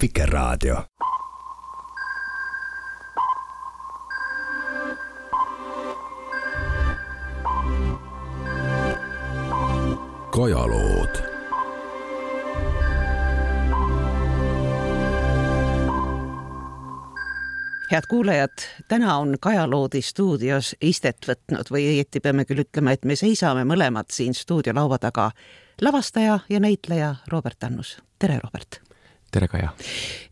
Vikerraadio. Kajalood. Head kuulajad, täna on Kajaloodi stuudios istet võtnud või õieti peame küll ütlema, et me seisame mõlemad siin stuudiolaua taga. Lavastaja ja näitleja Robert Annus. Tere, Robert! Tere, Kaja!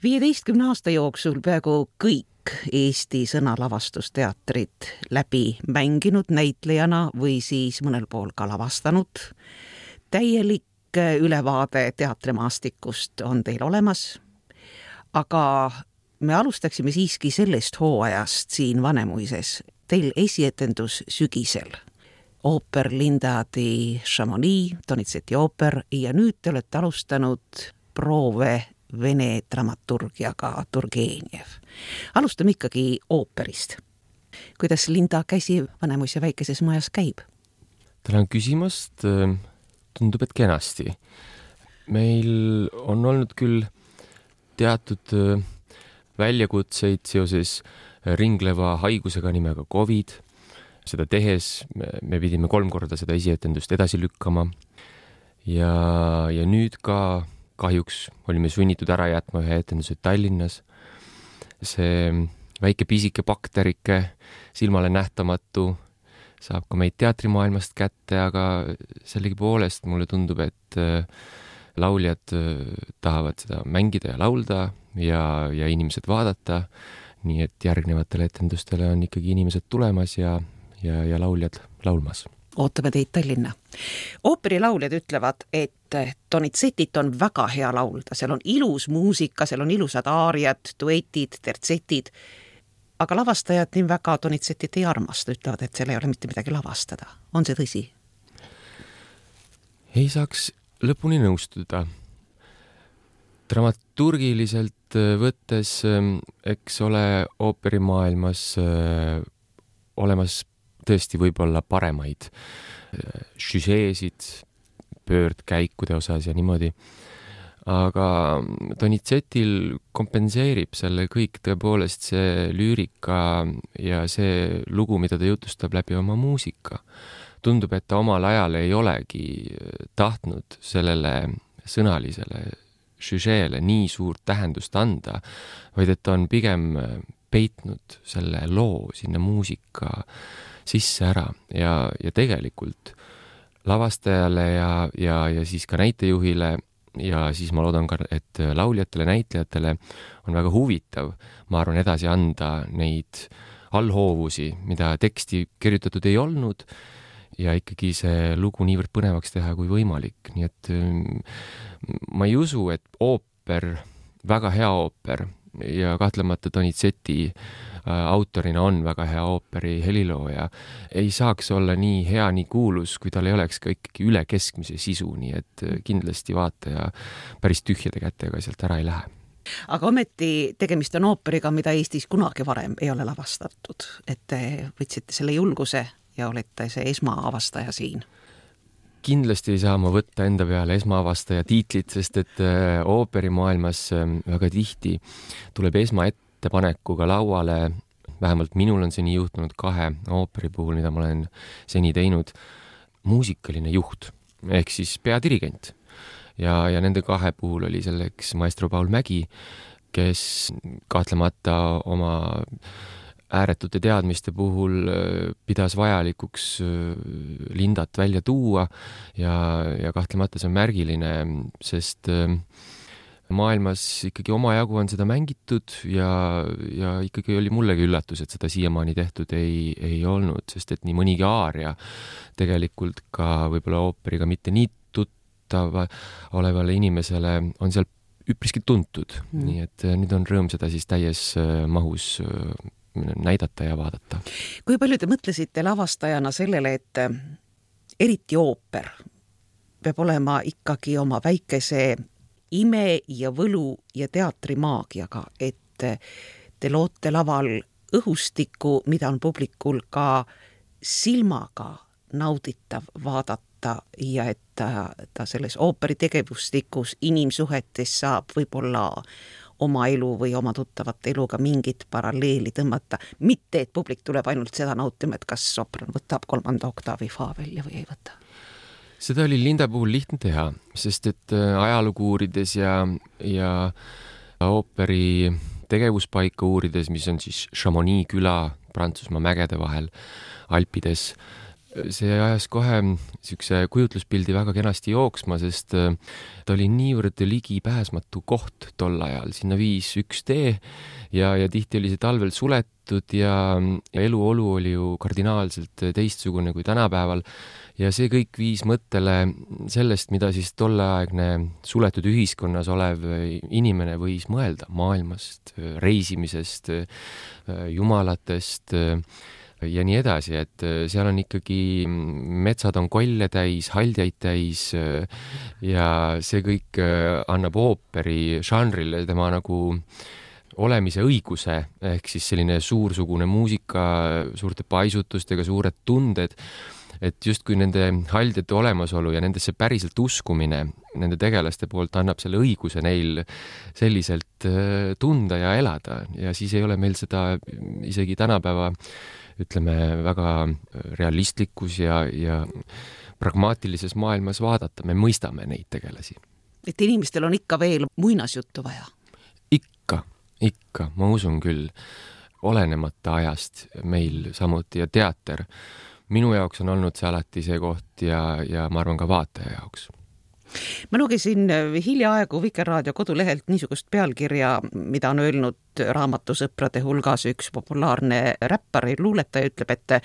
15 aasta jooksul peaaegu kõik Eesti sõnalavastusteatrid läbi mänginud näitlejana või siis mõnel pool ka lavastanud. Täielik ülevaade teatrimaastikust on teil olemas, aga me alustaksime siiski sellest hooajast siin Vanemuises. Teil esietendus sügisel. Ooper Linda di Chamonix, Donizetti ooper ja nüüd te olete alustanud proove vene dramaturgiaga Turgenev. Alustame ikkagi ooperist. Kuidas Linda käsi Vanemuise väikeses majas käib? Tänan küsimast. Tundub, et kenasti. Meil on olnud küll teatud väljakutseid seoses ringleva haigusega nimega COVID. Seda tehes me pidime 3 korda seda esietendust edasi lükkama ja nüüd ka kahjuks olime sunnitud ära jätma ühe etenduse Tallinnas. See väike pisike bakterike, silmale nähtamatu, saab ka meid teatrimaailmast kätte, aga sellegipoolest mulle tundub, et lauljad tahavad seda mängida ja laulda ja inimesed vaadata, nii et järgnevatele etendustele on ikkagi inimesed tulemas ja lauljad laulmas. Ootame teid Tallinna. Ooperilauljad ütlevad, et Donizettit on väga hea laulda. Seal on ilus muusika, seal on ilusad aariad, duetid, tertsetid, aga lavastajad nii väga Donizettit ei armasta, ütlevad, et seal ei ole mitte midagi lavastada. On see tõsi? Ei saaks lõpuni nõustuda. Dramaturgiliselt võttes, eks ole ooperimaailmas olemas tõesti võib-olla paremaid žüžeesid pöördkäikude osas ja niimoodi. Aga Donizettil kompenseerib selle kõik tõepoolest see lüürika ja see lugu, mida ta jutustab läbi oma muusika. Tundub, et ta omal ajal ei olegi tahtnud sellele sõnalisele žüžeele nii suurt tähendust anda, vaid et ta on pigem peitnud selle loo sinna muusika sisse ära ja tegelikult lavastajale ja siis ka näitejuhile ja siis ma loodan ka, et lauljatele, näitlejatele on väga huvitav, ma arvan, edasi anda neid allhoovusi, mida teksti kirjutatud ei olnud ja ikkagi see lugu niivõrd põnevaks teha kui võimalik. Nii et ma ei usu, et ooper, väga hea ooper ja kahtlemata Donizetti autorina on väga hea ooperi helilooja, ei saaks olla nii hea, nii kuulus, kui tal ei oleks ka ikkagi üle keskmise sisu, nii et kindlasti vaataja päris tühjade kätega sealt ära ei lähe. Aga ometi tegemist on ooperiga, mida Eestis kunagi varem ei ole lavastatud, et te võtsite selle julguse ja olete see esmaavastaja siin. Kindlasti ei saa ma võtta enda peale esmaavastaja tiitlit, sest et ooperimaailmas väga tihti tuleb esmaettepanekuga lauale, vähemalt minul on see nii juhtunud 2 ooperi puhul, mida ma olen seni teinud, muusikaline juht, ehk siis peadirigent. Ja nende 2 puhul oli selleks maestro Paul Mägi, kes kahtlemata oma ääretute teadmiste puhul pidas vajalikuks Lindat välja tuua ja kahtlemata see on märgiline, sest maailmas ikkagi omajagu on seda mängitud ja ikkagi oli mullegi üllatus, et seda siiamaani tehtud ei olnud, sest et nii mõnigi aaria tegelikult ka võib-olla ooperiga mitte nii tuttav olevale inimesele on seal üpriski tuntud. Nii et nüüd on rõõm seda siis täies mahus näidata ja vaadata. Kui palju te mõtlesite lavastajana sellele, et eriti ooper peab olema ikkagi oma väikese ime ja võlu ja teatrimaagiaga, et te loote laval õhustikku, mida on publikul ka silmaga nauditav vaadata ja et ta selles ooperi tegevustikus inimsuhetes saab võib-olla oma elu või oma tuttavate eluga mingit paralleeli tõmmata, mitte et publik tuleb ainult seda nautima, et kas sopran võtab 3. oktaavi fa välja või ei võta. Seda oli Linda puhul lihtne teha, sest et ajalugu uurides ja ooperi tegevuspaika uurides, mis on siis Chamonix küla Prantsusmaa mägede vahel Alpides, see ajas kohe niisuguse kujutluspildi väga kenasti jooksma, sest ta oli niivõrd ligipääsmatu koht tol ajal. Sinna viis üks tee ja tihti oli see talvel suletud ja eluolu oli ju kardinaalselt teistsugune kui tänapäeval. Ja see kõik viis mõttele sellest, mida siis tolleaegne suletud ühiskonnas olev inimene võis mõelda maailmast, reisimisest, jumalatest ja nii edasi, et seal on ikkagi, metsad on kolle täis, haldjaid täis ja see kõik annab ooperi žanrile tema nagu olemise õiguse, ehk siis selline suursugune muusika, suurte paisutustega, suured tunded, et justkui nende haldjate olemasolu ja nendesse päriselt uskumine nende tegelaste poolt annab selle õiguse neil selliselt tunda ja elada ja siis ei ole meil seda isegi tänapäeva ütleme väga realistlikus ja pragmaatilises maailmas vaadata, me mõistame neid tegelasi. Et inimestel on ikka veel muinasjuttu vaja? Ikka, ma usun küll, olenemata ajast meil samuti ja teater. Minu jaoks on olnud see alati see koht ja ma arvan ka vaataja jaoks. Ma lugesin hiljaaegu Vikerraadio kodulehelt niisugust pealkirja, mida on öelnud raamatusõprade hulgas üks populaarne räppar ja luuletaja ütleb, et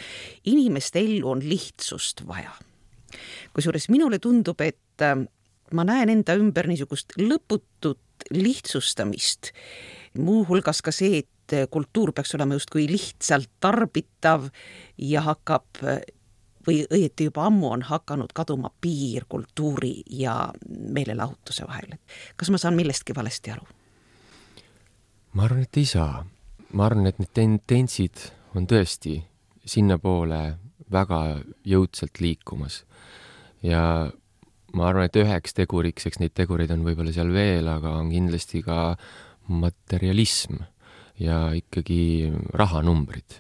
inimeste ellu on lihtsust vaja. Kusjuures minule tundub, et ma näen enda ümber niisugust lõputut lihtsustamist. Muu hulgas ka see, et kultuur peaks olema justkui lihtsalt tarbitav ja hakkab või õieti juba ammu on hakanud kaduma piir kultuuri ja meelelahutuse vahel. Kas ma saan millestki valesti aru? Ma arvan, et ei saa. Ma arvan, et need tendentsid on tõesti sinna poole väga jõudsalt liikumas. Ja ma arvan, et üheks teguriks, eks neid tegureid on võib-olla seal veel, aga on kindlasti ka materialism ja ikkagi rahanumbrid.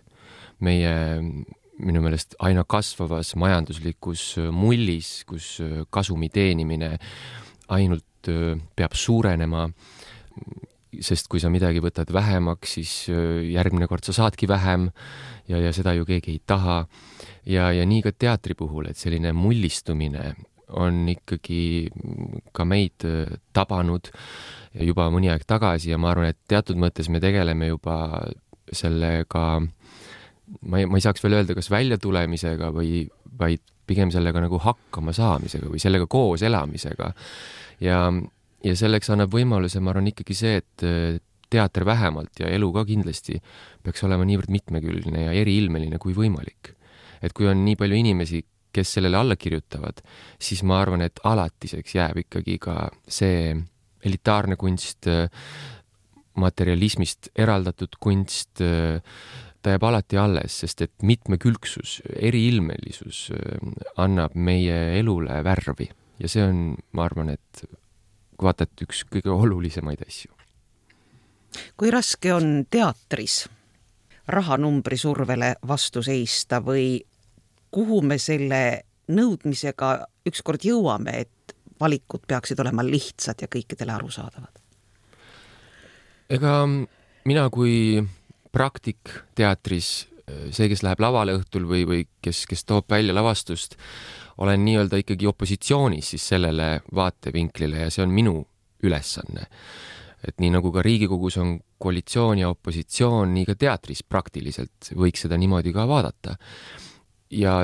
Minu meelest aina kasvavas majanduslikus mullis, kus kasumi teenimine ainult peab suurenema, sest kui sa midagi võtad vähemaks, siis järgmine kord sa saadki vähem ja seda ju keegi ei taha. Ja nii ka teatri puhul, et selline mullistumine on ikkagi ka meid tabanud juba mõni aeg tagasi ja ma arvan, et teatud mõttes me tegeleme juba sellega, ma ei saaks veel öelda, kas väljatulemisega või vaid pigem sellega nagu hakkama saamisega või sellega koos elamisega. Ja selleks annab võimaluse, ma arvan ikkagi see, et teater vähemalt ja elu ka kindlasti peaks olema niivõrd mitmekülgne ja eriilmeline kui võimalik. Et kui on nii palju inimesi, kes sellele alla kirjutavad, siis ma arvan, et alatiseks jääb ikkagi ka see elitaarne kunst, materialismist eraldatud kunst, ta jääb alati alles, sest et mitmekülgsus, eriilmelisus annab meie elule värvi ja see on, ma arvan, et kui vaatad üks kõige olulisemaid asju. Kui raske on teatris rahanumbri survele vastu seista või kuhu me selle nõudmisega ükskord jõuame, et valikud peaksid olema lihtsad ja kõikidele arusaadavad? Ega mina kui praktik teatris, see, kes läheb lavale õhtul või kes toob välja lavastust, olen nii-öelda ikkagi opositsioonis siis sellele vaatevinklile ja see on minu ülesanne. Et nii nagu ka Riigikogus on koalitsioon ja opositsioon, nii ka teatris praktiliselt võiks seda niimoodi ka vaadata. Ja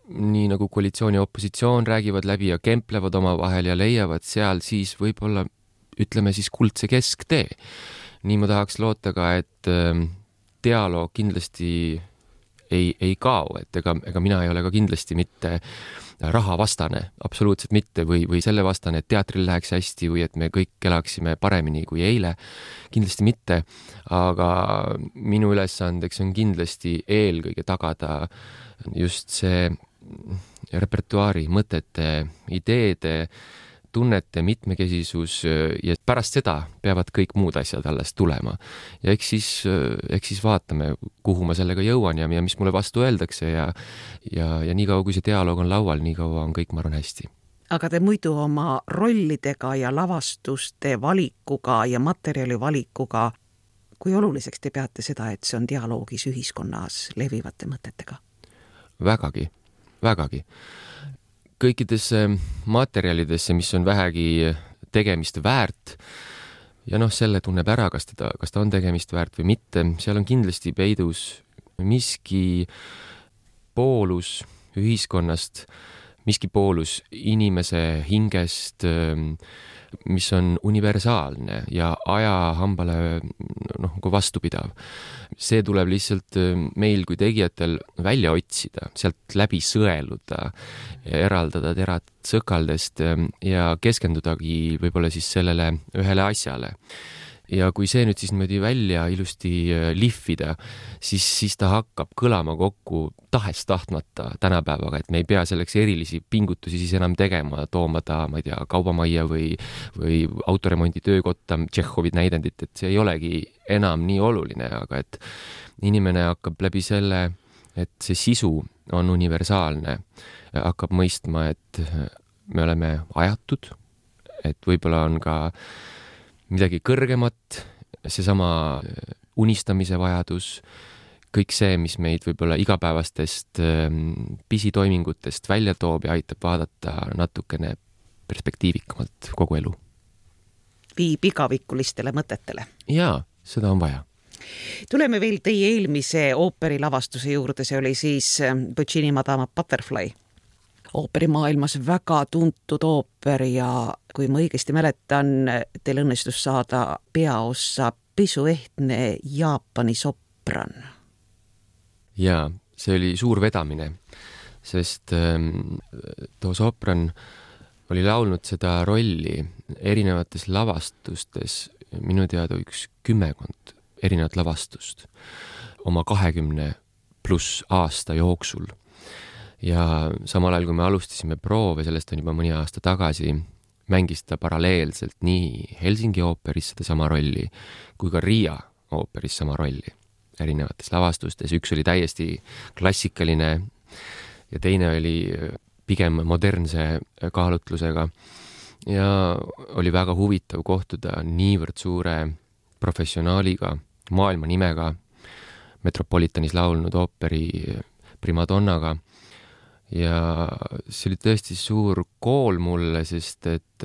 nii nagu koalitsioon ja opositsioon räägivad läbi ja kemplevad oma vahel ja leiavad seal siis võib-olla, ütleme siis kuldse kesktee. Nii ma tahaks loota ka, et dialoog kindlasti ei kao, et ega mina ei ole ka kindlasti mitte rahavastane, absoluutselt mitte, või selle vastane, et teatril läheks hästi või et me kõik elaksime paremini kui eile. Kindlasti mitte, aga minu ülesandeks on kindlasti eelkõige tagada just see repertuaari, mõtete, ideede tunnete mitmekesisus ja pärast seda peavad kõik muud asjad alles tulema. Ja eks siis vaatame, kuhu ma sellega jõuan ja mis mulle vastu öeldakse ja nii kaua, kui see dialoog on laual, nii kaua on kõik, ma arvan, hästi. Aga te muidu oma rollidega ja lavastuste valikuga ja materjali valikuga, kui oluliseks te peate seda, et see on dialoogis ühiskonnas levivate mõtetega? Vägagi. Kõikidesse materjalidesse, mis on vähegi tegemist väärt ja selle tunneb ära, kas ta on tegemist väärt või mitte, seal on kindlasti peidus miski poolus ühiskonnast, miski poolus inimese hingest, mis on universaalne ja ajahambale vastupidav. See tuleb lihtsalt meil kui tegijatel välja otsida, sealt läbi sõeluda, eraldada terad sõkaldest ja keskendudagi võib-olla siis sellele ühele asjale. Ja kui see nüüd siis niimoodi välja ilusti lihvida, siis ta hakkab kõlama kokku tahes-tahtmata tänapäevaga, et me ei pea selleks erilisi pingutusi siis enam tegema, tooma ta, ma ei tea, kaubamajja või autoremondi töökotta Tšehhovi näidendit, et see ei olegi enam nii oluline, aga et inimene hakkab läbi selle, et see sisu on universaalne, hakkab mõistma, et me oleme ajatud, et võib-olla on ka midagi kõrgemat, seesama unistamise vajadus, kõik see, mis meid võib-olla igapäevastest pisitoimingutest välja toob ja aitab vaadata natukene perspektiivikamalt kogu elu. Viib igavikulistele mõtetele. Jaa, seda on vaja. Tuleme veel teie eelmise ooperi lavastuse juurde, see oli siis Puccini Madama Butterfly. Ooperimaailmas väga tuntud ooper ja kui ma õigesti mäletan, teil õnnestus saada peaossa pisuehtne Jaapani sopran. Jaa, see oli suur vedamine, sest too sopran oli laulnud seda rolli erinevates lavastustes, minu teada 10 erinevat lavastust oma 20+ aasta jooksul. Ja samal ajal, kui me alustasime proove, sellest on juba mõni aasta tagasi, mängis ta paralleelselt nii Helsingi ooperis seda sama rolli kui ka Riia ooperis sama rolli erinevates lavastustes. Üks oli täiesti klassikaline ja teine oli pigem modernse kaalutlusega ja oli väga huvitav kohtuda niivõrd suure professionaaliga, maailma nimega, Metropolitanis laulnud ooperi primadonnaga. Ja see oli tõesti suur kool mulle, sest et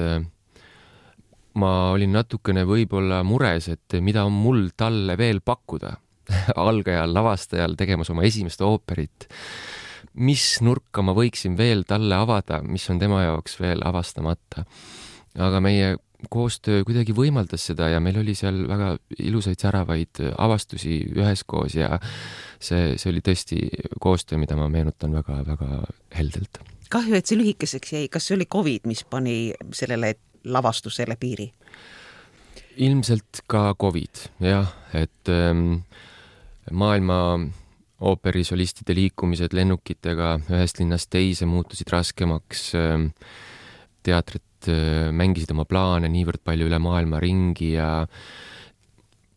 ma olin natukene võib-olla mures, et mida on mul talle veel pakkuda algajal lavastajal tegemas oma esimest ooperit. Mis nurka ma võiksin veel talle avada, mis on tema jaoks veel avastamata. Aga meie koostöö kuidagi võimaldas seda ja meil oli seal väga ilusaid säravaid avastusi üheskoos ja see oli tõesti koostöö, mida ma meenutan väga-väga heldelt. Kahju, et see lühikeseks jäi. Kas see oli COVID, mis pani sellele lavastusele piiri? Ilmselt ka COVID, jah, et maailma ooperisolistide liikumised lennukitega ühest linnast teise muutusid raskemaks, teatrid mängisid oma plaane niivõrd palju üle maailma ringi ja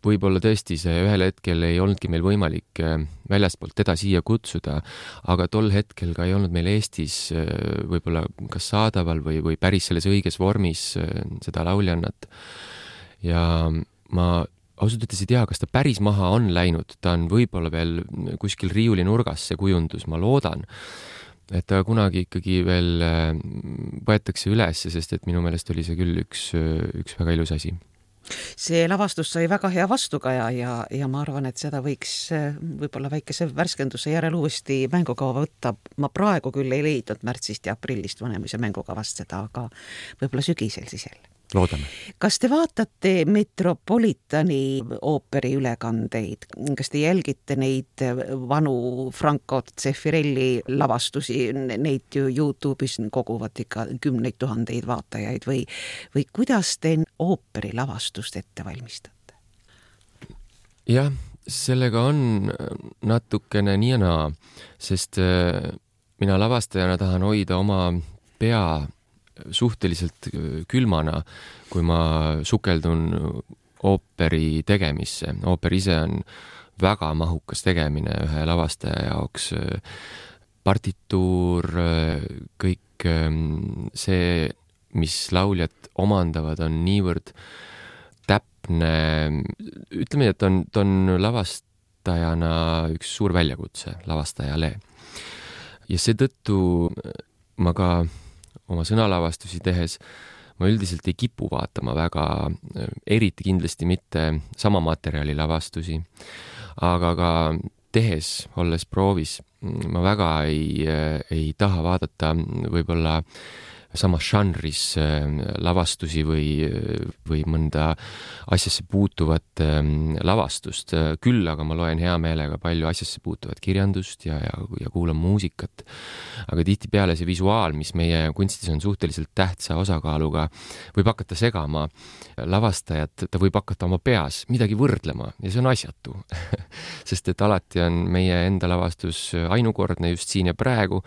võib-olla tõesti see ühel hetkel ei olnudki meil võimalik väljastpoolt teda siia kutsuda, aga tol hetkel ka ei olnud meil Eestis võib-olla kas saadaval või päris selles õiges vormis seda lauljannat. Ja ma ausalt ütles ei tea, kas ta päris maha on läinud, ta on võib-olla veel kuskil riiuli nurgas see kujundus, ma loodan, et ta kunagi ikkagi veel võetakse üles, sest et minu meelest oli see küll üks väga ilus asi. See lavastus sai väga hea vastukaja ja ma arvan, et seda võiks võib-olla väikese värskenduse järel uuesti mängukava võtta. Ma praegu küll ei leidnud märtsist ja aprillist Vanemuise mängukavast seda, aga võib-olla sügisel siis jälle. Loodame. Kas te vaatate Metropolitani ooperi ülekandeid? Kas te jälgite neid vanu Franco Zeffirelli lavastusi? Neid ju YouTube'is koguvad ikka 10 000 vaatajaid või kuidas te ooperi lavastust ette valmistate? Jah, sellega on natukene nii ja naa, sest mina lavastajana tahan hoida oma pea suhteliselt külmana, kui ma sukeldun ooperi tegemisse. Ooper ise on väga mahukas tegemine ühe lavastaja jaoks. Partituur, kõik see, mis lauljad omandavad, on niivõrd täpne. Ütleme, et ta on lavastajana üks suur väljakutse lavastajale. Ja seetõttu ma ka oma sõnalavastusi tehes ma üldiselt ei kipu vaatama väga, eriti kindlasti mitte sama materjali lavastusi, aga ka tehes, olles proovis, ma väga ei taha vaadata võib-olla samas žanris lavastusi või mõnda asjasse puutuvat lavastust. Küll aga ma loen hea meelega palju asjasse puutuvat kirjandust ja kuulan muusikat. Aga tihtipeale see visuaal, mis meie kunstis on suhteliselt tähtsa osakaaluga, võib hakata segama lavastajat, ta võib hakata oma peas midagi võrdlema ja see on asjatu. Sest et alati on meie enda lavastus ainukordne just siin ja praegu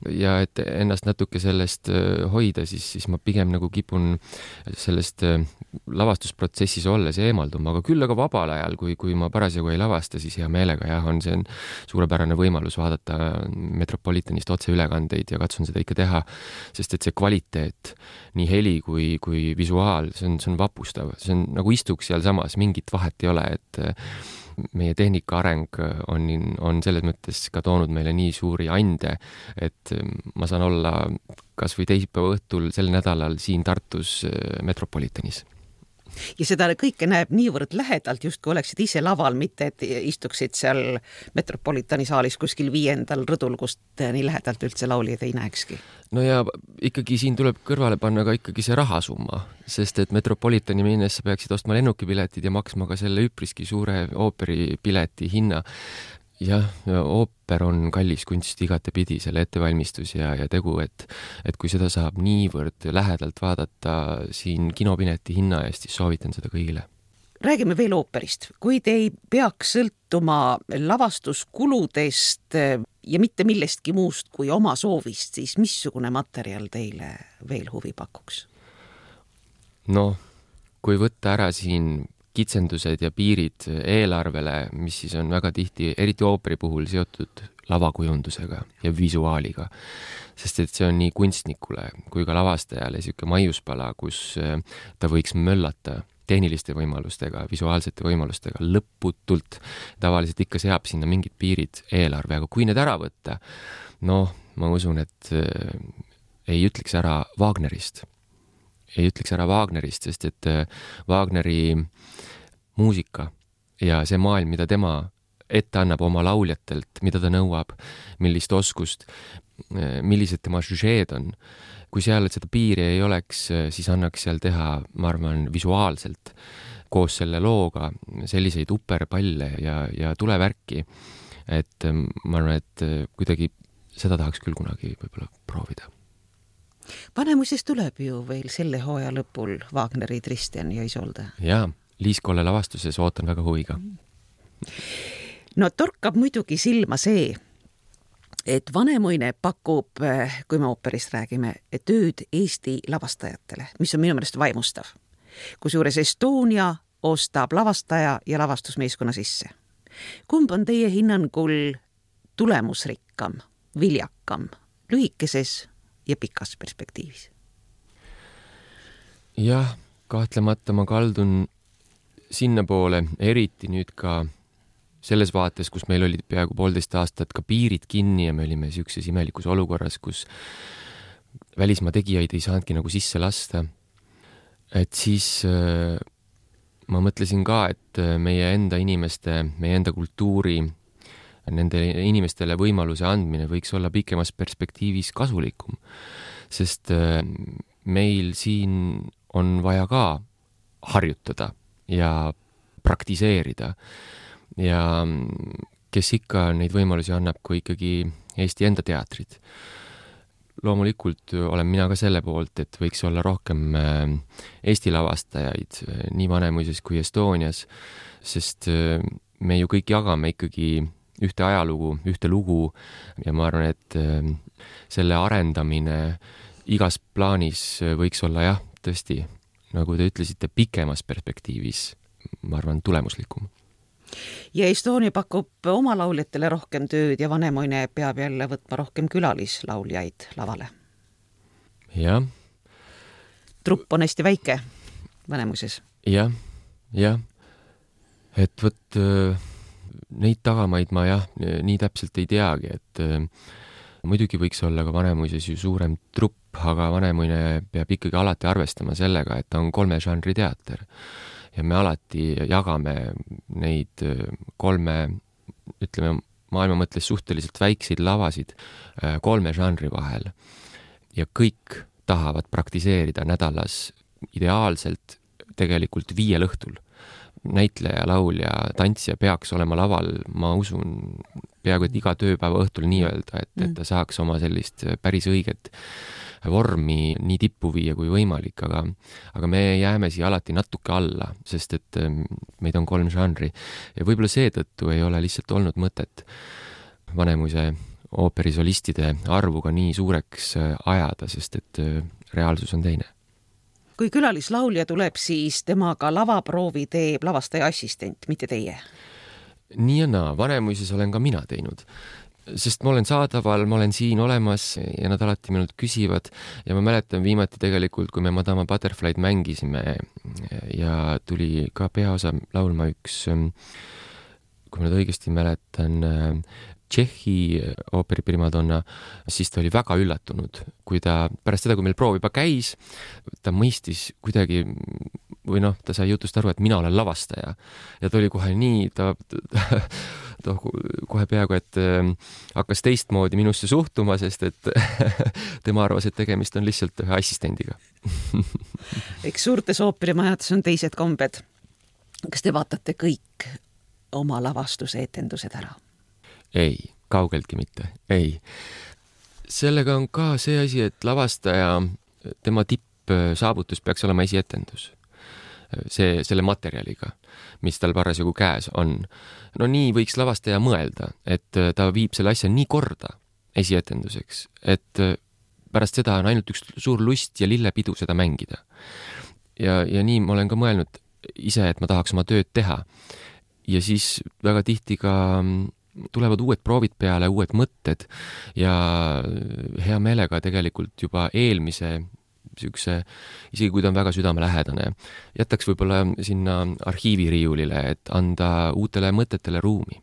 ja et ennast natuke sellest hoida, siis ma pigem nagu kipun sellest lavastusprotsessis olles eemalduma, aga küll aga vabal ajal, kui ma parasjagu ei lavasta, siis hea meelega on see suurepärane võimalus vaadata Metropolitanist otseülekandeid ja katsun seda ikka teha, sest et see kvaliteet, nii heli kui visuaal, see on vapustav, see on nagu istuks seal samas, mingit vahet ei ole, et meie tehnika areng on selles mõttes ka toonud meile nii suuri ande, et ma saan olla kas või teisipäeva õhtul sel nädalal siin Tartus Metropolitanis. Ja seda kõike näeb niivõrd lähedalt, just kui oleksid ise laval, mitte et istuksid seal Metropolitani saalis kuskil 5. rõdul, kust nii lähedalt üldse lauljad ei näekski. No ja ikkagi siin tuleb kõrvale panna ka ikkagi see rahasumma, sest et Metropolitani minnes sa peaksid ostma lennukipiletid ja maksma ka selle üpriski suure ooperipileti hinna. Jah, ooper on kallis kunst igatepidi, selle ettevalmistus ja tegu, et kui seda saab niivõrd lähedalt vaadata siin kinopileti hinna eest, siis soovitan seda kõigile. Räägime veel ooperist. Kui te ei peaks sõltuma lavastuskuludest ja mitte millestki muust kui oma soovist, siis missugune materjal teile veel huvi pakuks? No, kui võtta ära siin kitsendused ja piirid eelarvele, mis siis on väga tihti, eriti ooperi puhul seotud lavakujundusega ja visuaaliga. Sest et see on nii kunstnikule kui ka lavastajale siuke maiuspala, kus ta võiks möllata tehniliste võimalustega, visuaalsete võimalustega lõputult. Tavaliselt ikka seab sinna mingid piirid eelarve, aga kui need ära võtta, ma usun, et ei ütleks ära Wagnerist, sest et Wagneri muusika ja see maailm, mida tema ette annab oma lauljatelt, mida ta nõuab, millist oskust, millised tema žüžeed on. Kui seal seda piiri ei oleks, siis annaks seal teha, ma arvan, visuaalselt koos selle looga selliseid uperpalle ja tulevärki, et ma arvan, et kuidagi seda tahaks küll kunagi võib-olla proovida. Vanemuises tuleb ju veel selle hooaja lõpul Wagneri Tristan ja Isolde. Jaa, Liis Kolle lavastuses ootan väga huviga. No torkab muidugi silma see, et Vanemuine pakub, kui me ooperist räägime, tööd Eesti lavastajatele, mis on minu meelest vaimustav. Kusjuures Estonia ostab lavastaja ja lavastusmeeskonna sisse. Kumb on teie hinnangul tulemusrikkam, viljakam, lühikeses ja pikas perspektiivis? Jah, kahtlemata ma kaldun sinna poole, eriti nüüd ka selles vaates, kus meil olid peaaegu 1,5 aastat ka piirid kinni ja me olime siukses imelikus olukorras, kus välismaa tegijaid ei saanudki nagu sisse lasta. Et siis ma mõtlesin ka, et meie enda inimeste, meie enda kultuuri, nende inimestele võimaluse andmine võiks olla pikemas perspektiivis kasulikum, sest meil siin on vaja ka harjutada ja praktiseerida ja kes ikka neid võimalusi annab, kui ikkagi Eesti enda teatrid. Loomulikult olen mina ka selle poolt, et võiks olla rohkem Eesti lavastajaid nii Vanemuises kui Estonias, sest me ju kõik jagame ikkagi ühte ajalugu, ühte lugu ja ma arvan, et selle arendamine igas plaanis võiks olla jah, tõesti, nagu te ütlesite, pikemas perspektiivis, ma arvan, tulemuslikum. Ja Estonia pakub oma lauljatele rohkem tööd ja Vanemuine peab jälle võtma rohkem külalislauljaid lavale. Jah. Trupp on hästi väike Vanemuises. Jah. Et võt neid tagamaid ma jah, nii täpselt ei teagi, et muidugi võiks olla ka Vanemuises ju suurem trupp, aga Vanemuine peab ikkagi alati arvestama sellega, et ta on 3 žanri teater. Ja me alati jagame neid 3, ütleme, maailma mõtles suhteliselt väikseid lavasid 3 žanri vahel. Ja kõik tahavad praktiseerida nädalas ideaalselt tegelikult 5 õhtul. Näitleja, laulja, tantsija peaks olema laval, ma usun, peaaegu et iga tööpäeva õhtul nii öelda, et ta saaks oma sellist päris õiget vormi nii tippu viia kui võimalik, aga me jääme siia alati natuke alla, sest et meid on 3 žanri ja võib-olla seetõttu ei ole lihtsalt olnud mõtet Vanemuise ooperisolistide arvuga nii suureks ajada, sest et reaalsus on teine. Kui külalislaulja tuleb, siis temaga lavaproovi teeb lavastaja assistent, mitte teie? Nii ja naa, Vanemuises olen ka mina teinud. Sest ma olen saadaval, ma olen siin olemas ja nad alati minult küsivad ja ma mäletan viimati tegelikult, kui me Madama Butterfly'd mängisime ja tuli ka peaosa laulma üks, kui ma nüüd õigesti mäletan, Tšehhi ooperi primadonna, siis ta oli väga üllatunud, kui ta pärast seda, kui meil proov juba käis, ta mõistis kuidagi või ta sai jutust aru, et mina olen lavastaja ja ta oli kohe nii, ta kohe peaaegu, et hakkas teistmoodi minusse suhtuma, sest et tema arvas, et tegemist on lihtsalt ühe assistendiga. Eks suurtes ooperimajades on teised kombed. Kas te vaatate kõik oma lavastuse etendused ära? Ei, kaugeltki mitte, ei. Sellega on ka see asi, et lavastaja, tema tippsaavutus peaks olema esietendus. Selle materjaliga, mis tal parasjagu käes on. No nii võiks lavastaja mõelda, et ta viib selle asja nii korda esietenduseks, et pärast seda on ainult üks suur lust ja lillepidu seda mängida. Ja nii ma olen ka mõelnud ise, et ma tahaks oma tööd teha. Ja siis väga tihti ka tulevad uued proovid peale, uued mõtted ja hea meelega tegelikult juba eelmise sükse, isegi kui ta on väga südamelähedane, jätaks võib-olla sinna arhiiviriiulile, et anda uutele mõtetele ruumi.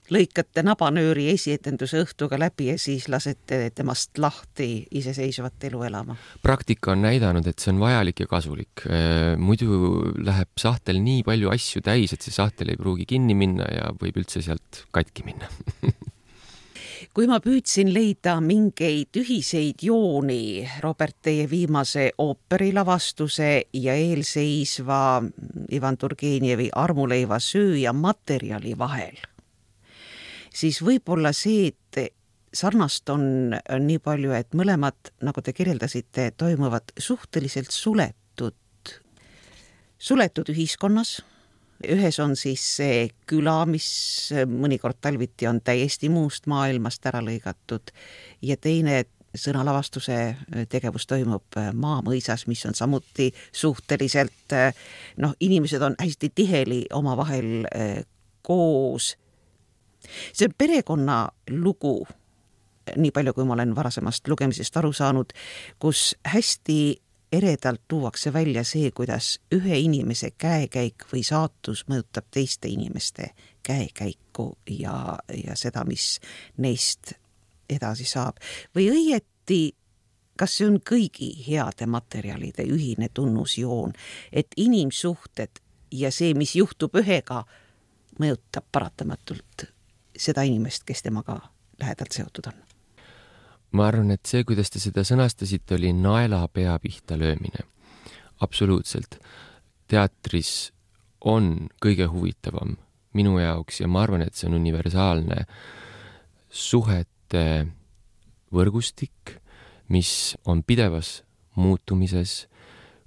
Lõikate nabanööri esietenduse õhtuga läbi ja siis lasete temast lahti iseseisvat elu elama? Praktika on näidanud, et see on vajalik ja kasulik. Muidu läheb sahtel nii palju asju täis, et see sahtel ei pruugi kinni minna ja võib üldse sealt katki minna. Kui ma püüdsin leida mingeid ühiseid jooni Robert teie viimase ooperilavastuse ja eelseisva Ivan Turgenievi Armuleiva sööja materjali vahel, siis võib-olla see, et sarnast on nii palju, et mõlemad, nagu te kirjeldasite, toimuvad suhteliselt suletud ühiskonnas. Ühes on siis see küla, mis mõnikord talviti on täiesti muust maailmast ära lõigatud ja teine sõnalavastuse tegevus toimub maamõisas, mis on samuti suhteliselt, inimesed on hästi tiheli omavahel koos. See on perekonna lugu, nii palju kui ma olen varasemast lugemisest aru saanud, kus hästi eredalt tuuakse välja see, kuidas ühe inimese käekäik või saatus mõjutab teiste inimeste käekäiku ja seda, mis neist edasi saab. Või õieti, kas see on kõigi heade materjalide ühine tunnusjoon, et inimsuhted ja see, mis juhtub ühega, mõjutab paratamatult seda inimest, kes temaga lähedalt seotud on? Ma arvan, et see, kuidas te seda sõnastasite, oli naela pea pihta löömine. Absoluutselt. Teatris on kõige huvitavam minu jaoks ja ma arvan, et see on universaalne suhete võrgustik, mis on pidevas muutumises,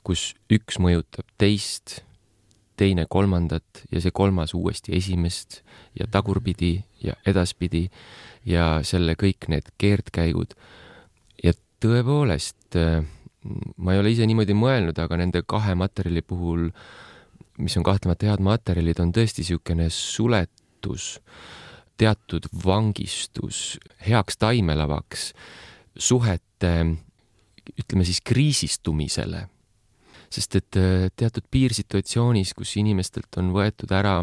kus üks mõjutab teist, teine kolmandat ja see kolmas uuesti esimest ja tagurpidi ja edaspidi ja selle kõik need keerdkäigud. Ja tõepoolest, ma ei ole ise niimoodi mõelnud, aga nende kahe materjali puhul, mis on kahtlemata head materjalid, on tõesti niisugune suletus, teatud vangistus, heaks taimelavaks, suhete, ütleme siis kriisistumisele. Sest et teatud piirsituatsioonis, kus inimestelt on võetud ära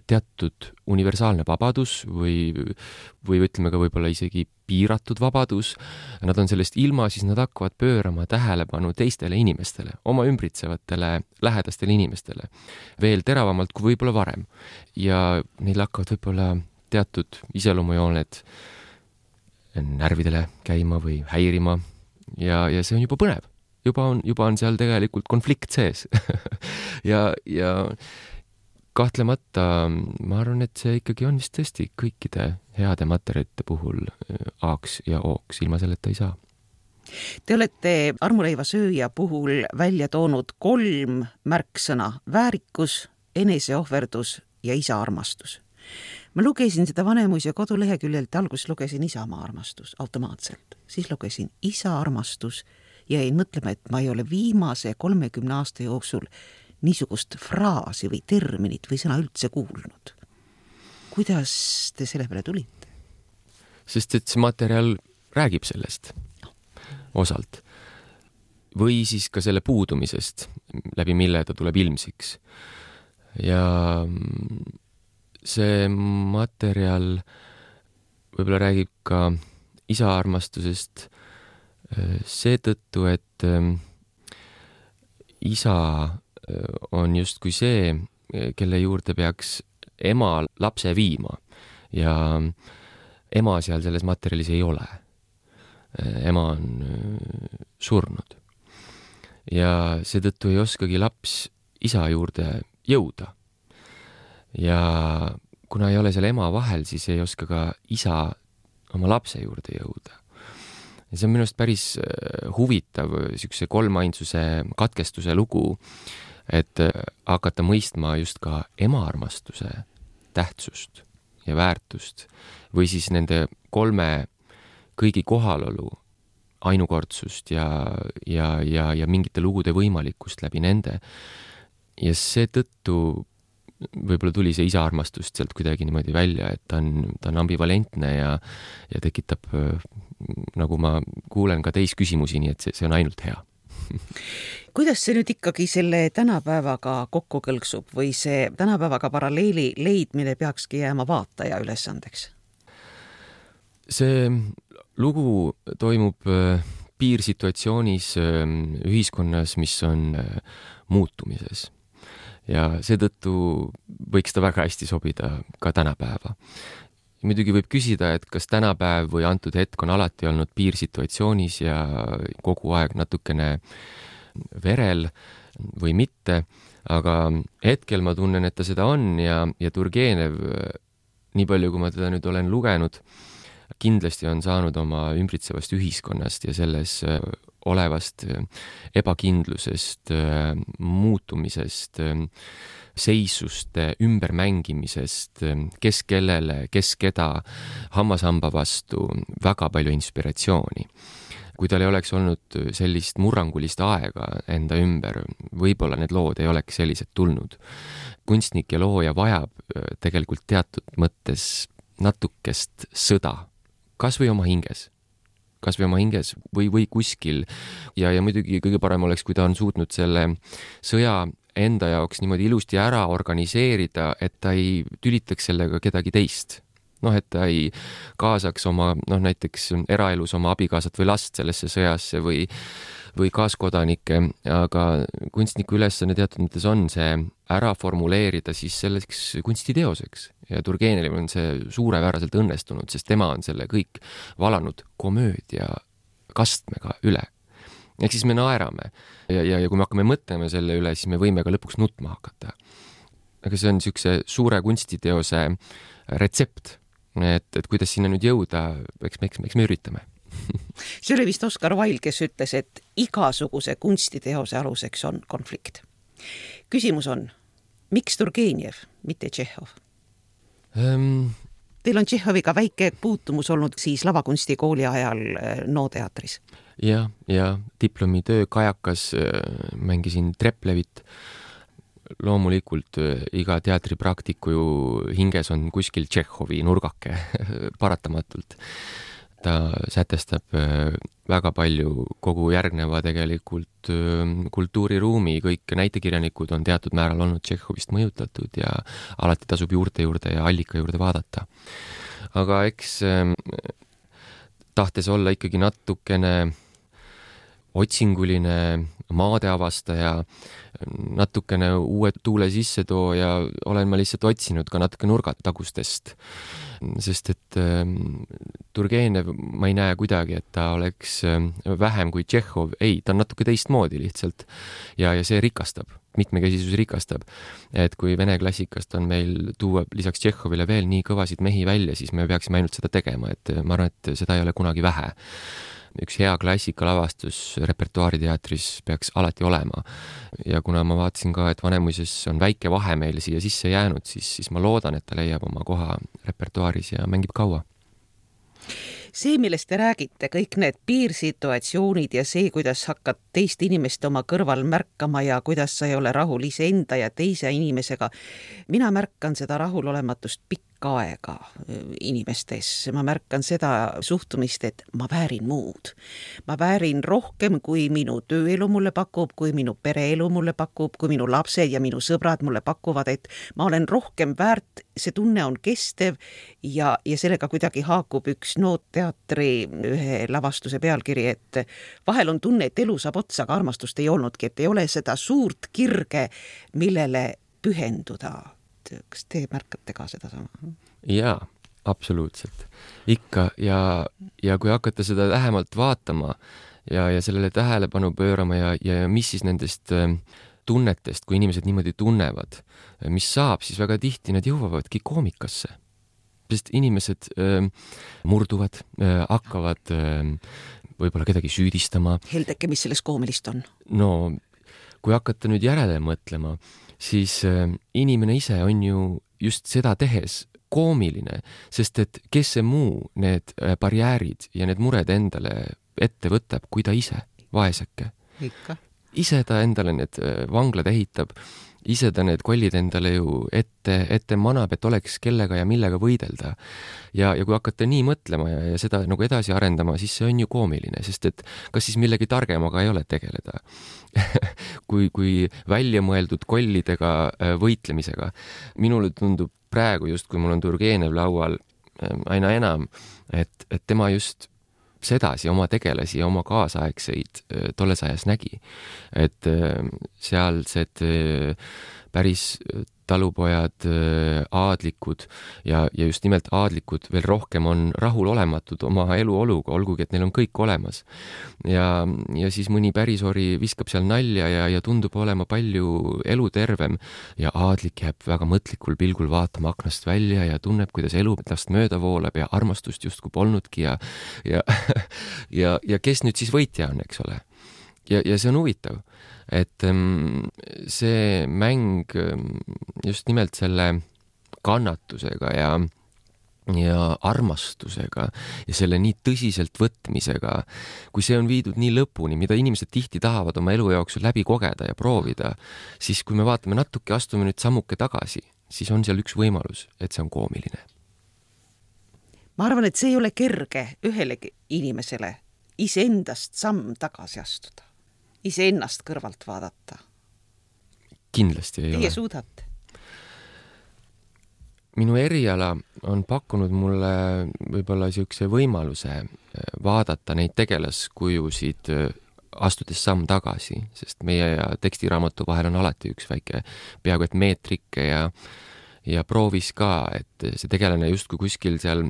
teatud universaalne vabadus või ütleme ka võib-olla isegi piiratud vabadus, nad on sellest ilma, siis nad hakkavad pöörama tähelepanu teistele inimestele, oma ümbritsevatele lähedastele inimestele, veel teravamalt kui võib-olla varem. Ja neil hakkavad võib-olla teatud iseloomujooned närvidele käima või häirima ja see on juba põnev. Juba on seal tegelikult konflikt sees. ja kahtlemata ma arvan, et see ikkagi on vist tõesti kõikide heade materjalite puhul A-ks ja O-ks, ilma selleta ei saa. Te olete armuleiva sööja puhul välja toonud 3 märksõna: väärikus, eneseohverdus ja isa-armastus. Ma lugesin seda Vanemuise koduleheküljelt, alguses lugesin Isamaa armastus automaatselt, siis lugesin isa-armastus ja jäin mõtlema, et ma ei ole viimase 30 aasta jooksul niisugust fraasi või terminit või sõna üldse kuulnud. Kuidas te selle peale tulite? Sest et see materjal räägib sellest osalt. Või siis ka selle puudumisest, läbi mille ta tuleb ilmsiks. Ja see materjal võib-olla räägib ka isa-armastusest seetõttu, et isa on justkui see, kelle juurde peaks ema lapse viima ja ema seal selles materjalis ei ole. Ema on surnud ja seetõttu ei oskagi laps isa juurde jõuda. Ja kuna ei ole seal ema vahel, siis ei oska ka isa oma lapse juurde jõuda. Ja see on minust päris huvitav niisuguse kolmainsuse katkestuse lugu, et hakata mõistma just ka ema-armastuse tähtsust ja väärtust või siis nende 3 kõigi kohalolu ainukordsust ja mingite lugude võimalikkust läbi nende. Ja seetõttu võib-olla tuli see isa-armastust sealt kuidagi niimoodi välja, et ta on ambivalentne ja tekitab, nagu ma kuulen ka teis küsimusi, nii et see on ainult hea. Kuidas see nüüd ikkagi selle tänapäevaga kokku kõlksub või see tänapäevaga paralleeli leidmine peakski jääma vaataja ülesandeks? See lugu toimub piirsituatsioonis ühiskonnas, mis on muutumises. Ja seetõttu võiks ta väga hästi sobida ka tänapäeva. Muidugi võib küsida, et kas tänapäev või antud hetk on alati olnud piirsituatsioonis ja kogu aeg natukene verel või mitte, aga hetkel ma tunnen, et ta seda on ja Turgenev, nii palju kui ma teda nüüd olen lugenud, kindlasti on saanud oma ümbritsevast ühiskonnast ja selles olevast ebakindlusest, muutumisest, seisuste ümbermängimisest, kes kellele, kes keda, hammashamba vastu, väga palju inspiratsiooni. Kui tal ei oleks olnud sellist murrangulist aega enda ümber, võib-olla need lood ei oleks sellised tulnud. Kunstnik ja looja vajab tegelikult teatud mõttes natukest sõda, kas või oma hinges või kuskil. Ja muidugi kõige parem oleks, kui ta on suutnud selle sõja enda jaoks niimoodi ilusti ära organiseerida, et ta ei tülitaks sellega kedagi teist. Et ta ei kaasaks oma, näiteks eraelus oma abikaasat või last sellesse sõjasse või kaaskodanikke, aga kunstniku ülesanne teatud mõttes on see ära formuleerida siis selleks kunstiteoseks. Ja Turgenev on see suurepäraselt õnnestunud, sest tema on selle kõik valanud komöödia kastmega üle. Ehk siis me naerame ja kui me hakkame mõtlema selle üle, siis me võime ka lõpuks nutma hakata. Aga see on niisuguse suure kunstiteose retsept, et kuidas sinna nüüd jõuda, eks me üritame. See oli vist Oscar Wilde, kes ütles, et igasuguse kunstiteose aluseks on konflikt. Küsimus on, miks Turgenev, mitte Tšehhov? teil on Tšehhoviga väike puutumus olnud siis lavakunstikooli ajal NO teatris? ja diplomitöö Kajakas mängisin Treplevit. Loomulikult iga teatripraktiku ju hinges on kuskil Tšehhovi nurgake paratamatult. Ta sätestab väga palju kogu järgneva tegelikult kultuuriruumi, kõik näitekirjanikud on teatud määral olnud Tšehhovist mõjutatud ja alati tasub juurde ja allika juurde vaadata. Aga eks tahtes olla ikkagi natukene otsinguline maadeavastaja, natukene uue tuule sisse too ja olen ma lihtsalt otsinud ka natuke nurgatagustest. Sest et Turgenev ma ei näe kuidagi, et ta oleks vähem kui Tšehhov. Ei, ta on natuke teistmoodi lihtsalt. Ja see rikastab, mitmekesisus rikastab. Et kui vene klassikast on meil tuua lisaks Tšehhovile veel nii kõvasid mehi välja, siis me peaksime ainult seda tegema. Et ma arvan, et seda ei ole kunagi vähe. Üks hea klassikalavastus repertuaariteatris peaks alati olema. Ja kuna ma vaatasin ka, et Vanemuises on väike vahe meil siia sisse jäänud, siis ma loodan, et ta leiab oma koha repertuaaris ja mängib kaua. See, millest te räägite, kõik need piirsituatsioonid ja see, kuidas hakkad teist inimest oma kõrval märkama ja kuidas sa ei ole rahul iseenda ja teise inimesega. Mina märkan seda rahulolematust pikka aega inimestes. Ma märkan seda suhtumist, et ma väärin muud. Ma väärin rohkem, kui minu tööelu mulle pakub, kui minu pereelu mulle pakub, kui minu lapsed ja minu sõbrad mulle pakuvad, et ma olen rohkem väärt, see tunne on kestev ja sellega kuidagi haakub üks NO teatri ühe lavastuse pealkiri, et vahel on tunne, et elu saab otsa, aga armastust ei olnudki, et ei ole seda suurt kirge, millele pühenduda. Kas te märkate ka seda sama? Jaa, absoluutselt. Ikka ja kui hakata seda lähemalt vaatama ja sellele tähelepanu pöörama ja mis siis nendest tunnetest, kui inimesed niimoodi tunnevad, mis saab, siis väga tihti nad jõuavadki koomikasse. Sest inimesed murduvad, hakkavad võib-olla kedagi süüdistama. Heldeke, mis selles koomilist on? No, kui hakata nüüd järele mõtlema, siis inimene ise on ju just seda tehes koomiline, sest et kes see muu need barjäärid ja need mured endale ette võtab, kui ta ise, vaeseke. Ikka. Ise ta endale need vanglad ehitab, ise ta need kollid endale ju ette manab, et oleks kellega ja millega võidelda. Ja kui hakata nii mõtlema ja seda nagu edasi arendama, siis see on ju koomiline, sest et kas siis millegi targemaga ei ole tegeleda. kui välja mõeldud kollidega võitlemisega. Minule tundub praegu just, kui mul on Turgenev laual aina enam, et tema just sedasi oma tegelasi ja oma kaasaegseid tolles ajas nägi. Et sealsed päris talupojad, aadlikud ja just nimelt aadlikud veel rohkem on rahulolematud oma eluoluga, olgugi, et neil on kõik olemas. Ja siis mõni pärisori viskab seal nalja ja tundub olema palju elutervem ja aadlik jääb väga mõtlikul pilgul vaatama aknast välja ja tunneb, kuidas elu tast mööda voolab ja armastust justkui polnudki ja kes nüüd siis võitja on, eks ole. Ja see on huvitav, et see mäng just nimelt selle kannatusega ja armastusega ja selle nii tõsiselt võtmisega, kui see on viidud nii lõpuni, mida inimesed tihti tahavad oma elu jooksul läbi kogeda ja proovida, siis kui me vaatame natuke, astume nüüd sammuke tagasi, siis on seal üks võimalus, et see on koomiline. Ma arvan, et see ei ole kerge ühelegi inimesele iseendast samm tagasi astuda. Iseennast kõrvalt vaadata. Kindlasti ei ole. Teie suudate? Minu eriala on pakkunud mulle võib-olla siukse võimaluse vaadata neid tegelaskujusid astudes samm tagasi, sest meie ja tekstiraamatu vahel on alati üks väike peaaegu et meetrike ja proovis ka, et see tegelane justkui kuskil seal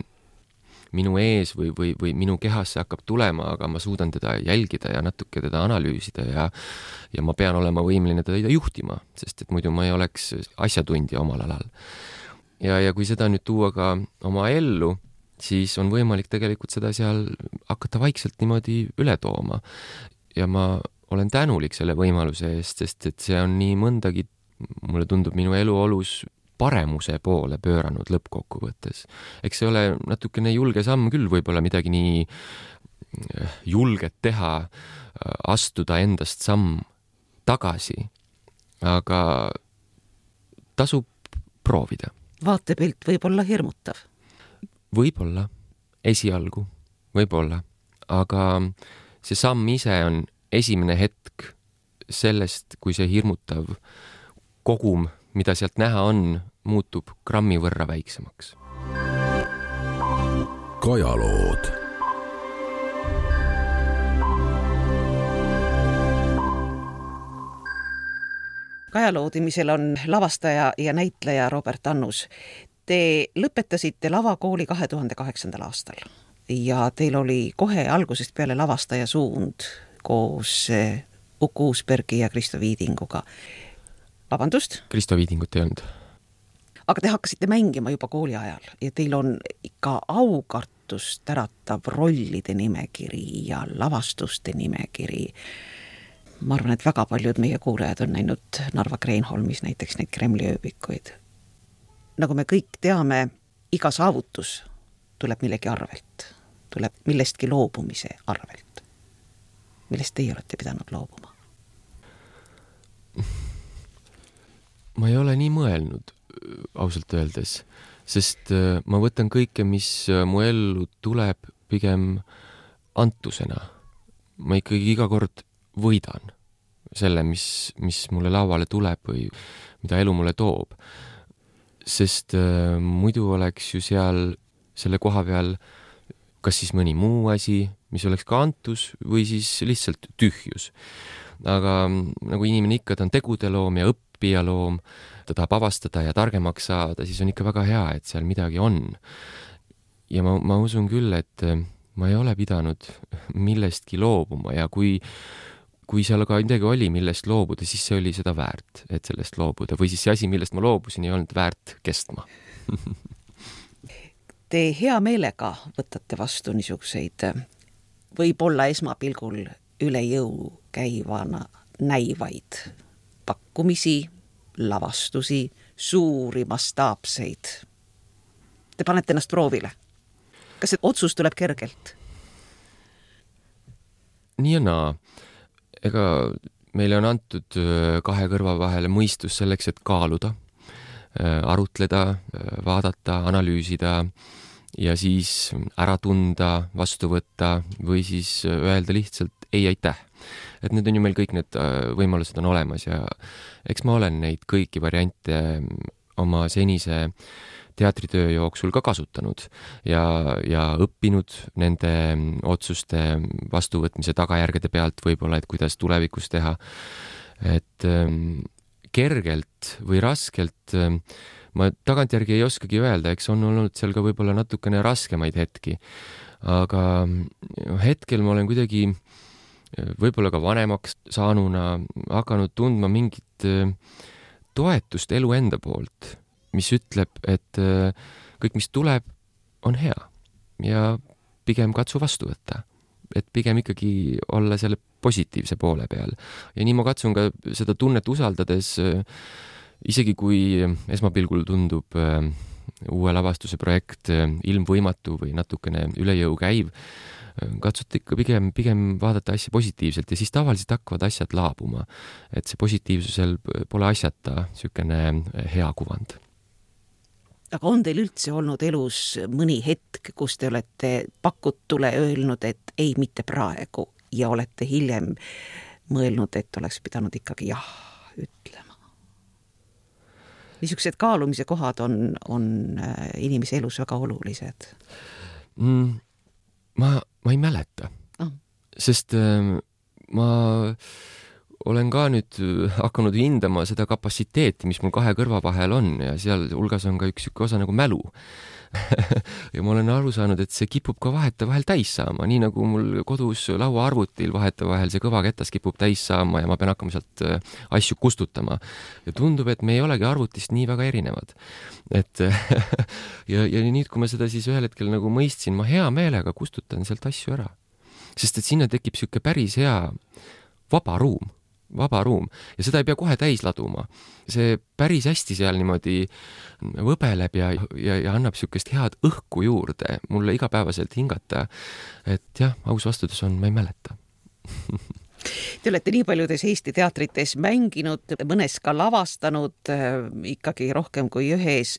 minu ees või minu kehasse hakkab tulema, aga ma suudan teda jälgida ja natuke teda analüüsida ja ma pean olema võimeline teda juhtima, sest et muidu ma ei oleks asjatundja omal alal. Ja kui seda nüüd tuua ka oma ellu, siis on võimalik tegelikult seda seal hakata vaikselt niimoodi üle tooma. Ja ma olen tänulik selle võimaluse eest, sest et see on nii mõndagi, mulle tundub minu eluolus paremuse poole pööranud lõppkokkuvõttes. Eks see ole natukene julge samm küll, võib-olla midagi nii julget teha, astuda endast samm tagasi, aga tasub proovida. Vaatepilt võib olla hirmutav. Võib-olla, esialgu, võib-olla, aga see samm ise on esimene hetk sellest, kui see hirmutav kogum, mida sealt näha on, muutub grammi võrra väiksemaks. Kajalood. Kajaloodimisel on lavastaja ja näitleja Robert Annus. Te lõpetasite lavakooli 2008. aastal ja teil oli kohe algusest peale lavastaja suund koos Uku Uusbergi ja Kristo Viidinguga. Vabandust? Kristo Viidingut ei olnud. Aga te hakkasite mängima juba kooli ajal ja teil on ikka aukartust äratav rollide nimekiri ja lavastuste nimekiri. Ma arvan, et väga paljud meie kuulajad on näinud Narva Kreenholmis näiteks neid Kremli ööbikuid. Nagu me kõik teame, iga saavutus tuleb millegi arvelt, tuleb millestki loobumise arvelt. Millest teie olete pidanud loobuma? Ma ei ole nii mõelnud, ausalt öeldes, sest ma võtan kõike, mis mu ellu tuleb, pigem antusena. Ma ikkagi iga kord võidan selle, mis mulle lauale tuleb või mida elu mulle toob. Sest muidu oleks ju seal selle koha peal kas siis mõni muu asi, mis oleks ka antus, või siis lihtsalt tühjus. Aga nagu inimene ikka, ta on tegude loom ja õppija loom, ta tahab avastada ja targemaks saada, siis on ikka väga hea, et seal midagi on. Ja ma usun küll, et ma ei ole pidanud millestki loobuma ja kui seal aga midagi oli, millest loobuda, siis see oli seda väärt, et sellest loobuda. Või siis see asi, millest ma loobusin, ei olnud väärt kestma. Te hea meelega võtate vastu niisuguseid võib-olla esmapilgul üle jõu käivana näivaid pakkumisi, lavastusi, suuri mastaapseid. Te panete ennast proovile. Kas see otsus tuleb kergelt? Nii ja naa. Ega meile on antud kahe kõrva vahele mõistus selleks, et kaaluda, arutleda, vaadata, analüüsida ja siis ära tunda, vastu võtta või siis öelda lihtsalt ei aitäh. Et need on ju meil kõik need võimalused on olemas ja eks ma olen neid kõiki variante oma senise teatritöö jooksul ka kasutanud ja õppinud nende otsuste vastuvõtmise tagajärgede pealt võib-olla, et kuidas tulevikus teha. Et kergelt või raskelt ma tagantjärgi ei oskagi öelda, eks on olnud seal ka võib-olla natukene raskemaid hetki. Aga hetkel ma olen kuidagi võib-olla ka vanemaks saanuna hakanud tundma mingit toetust elu enda poolt, mis ütleb, et kõik, mis tuleb, on hea ja pigem katsu vastu võtta. Et pigem ikkagi olla selle positiivse poole peal. Ja nii ma katsun ka seda tunnet usaldades, isegi kui esmapilgul tundub uue lavastuse projekt ilmvõimatu või natukene üle jõu käiv, katsute ikka pigem vaadata asja positiivselt ja siis tavaliselt hakkavad asjad laabuma. Et see positiivsusel pole asjata sükene hea kuvand. Aga on teil üldse olnud elus mõni hetk, kus te olete pakutule öelnud, et ei, mitte praegu ja olete hiljem mõelnud, et oleks pidanud ikkagi jah ütlema? Niisugused kaalumise kohad on inimese elus väga olulised. Ma ei mäleta, sest ma olen ka nüüd hakanud hindama seda kapatsiteeti, mis mul kahe kõrva vahel on ja seal hulgas on ka üks osa nagu mälu. Ja ma olen aru saanud, et see kipub ka vahetevahel täis saama, nii nagu mul kodus lauaarvutil vahetevahel see kõvaketas kipub täis saama ja ma pean hakkama sealt asju kustutama. Ja tundub, et me ei olegi arvutist nii väga erinevad. Et ja nüüd, kui ma seda siis ühel hetkel nagu mõistsin, ma hea meelega kustutan sealt asju ära. Sest et sinna tekib siuke päris hea vaba ruum. vaba ruum ja seda ei pea kohe täis laduma. See päris hästi seal niimoodi võbeleb ja annab niisugust head õhku juurde mulle igapäevaselt hingata. Et jah, aus vastus on, ma ei mäleta. Te olete nii paljudes Eesti teatrites mänginud, mõnes ka lavastanud, ikkagi rohkem kui ühes.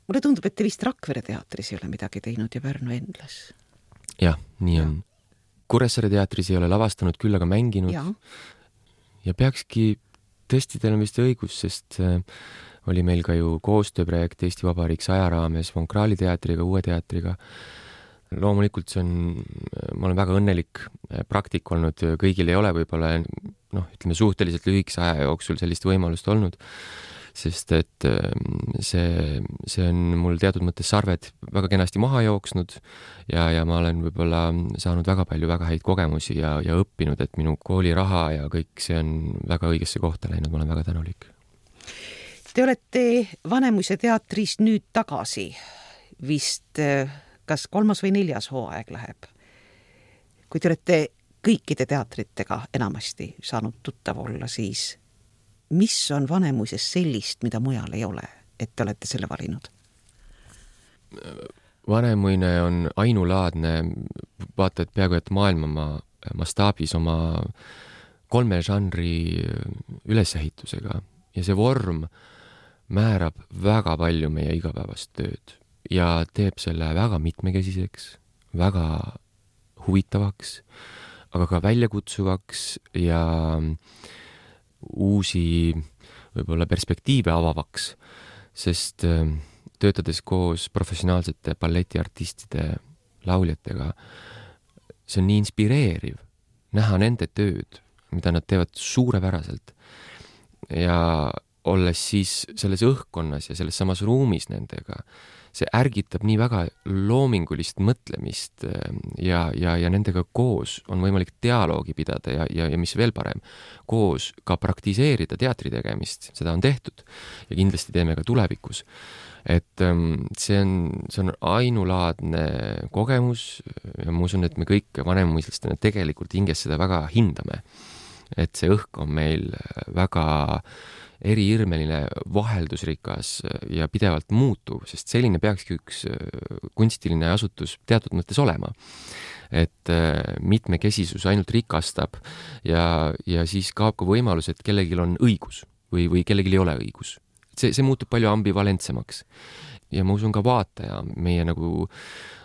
Mulle tundub, et te vist Rakvere teatris ei ole midagi teinud ja Pärnu Endlas. Jah, nii on. Kuressaare teatris ei ole lavastanud, küll aga mänginud. Ja peakski, tõesti teil on vist õigus, sest oli meil ka ju koostööprojekt Eesti Vabariik 100 raames Vonkraali teatriga, Uue teatriga. Loomulikult see on, ma olen väga õnnelik praktik olnud, kõigil ei ole võib-olla, ütleme suhteliselt lühikese aja jooksul sellist võimalust olnud, sest et see on mul teatud mõttes sarved väga kenasti maha jooksnud ja ma olen võib-olla saanud väga palju väga häid kogemusi ja õppinud, et minu kooliraha ja kõik see on väga õigesse kohta läinud, ma olen väga tänulik. Te olete Vanemuise teatris nüüd tagasi, vist kas 3. või 4. hooaeg läheb. Kui te olete kõikide teatritega enamasti saanud tuttav olla, siis mis on Vanemuises sellist, mida mujal ei ole, et te olete selle valinud? Vanemuine on ainulaadne, vaata, et peaaegu et maailma mastaabis oma 3 žanri ülesehitusega ja see vorm määrab väga palju meie igapäevast tööd ja teeb selle väga mitmekesiseks, väga huvitavaks, aga ka väljakutsuvaks ja uusi võib-olla perspektiive avavaks, sest töötades koos professionaalsete balletiartistide, lauljatega, see on nii inspireeriv näha nende tööd, mida nad teevad suurepäraselt ja olles siis selles õhkkonnas ja selles samas ruumis nendega, see ärgitab nii väga loomingulist mõtlemist ja nendega koos on võimalik dialoogi pidada ja mis veel parem, koos ka praktiseerida teatri tegemist, seda on tehtud ja kindlasti teeme ka tulevikus. Et see on ainulaadne kogemus ja ma usun, et me kõik vanemuislastena tegelikult hinges seda väga hindame. Et see õhk on meil väga eriirmeline, vaheldusrikas ja pidevalt muutuv, sest selline peakski üks kunstiline asutus teatud mõttes olema. Et mitmekesisus ainult rikastab ja siis kaob ka võimalus, et kellelgi on õigus või kellelgi ei ole õigus. See muutub palju ambivalentsemaks. Ja ma usun ka vaataja meie nagu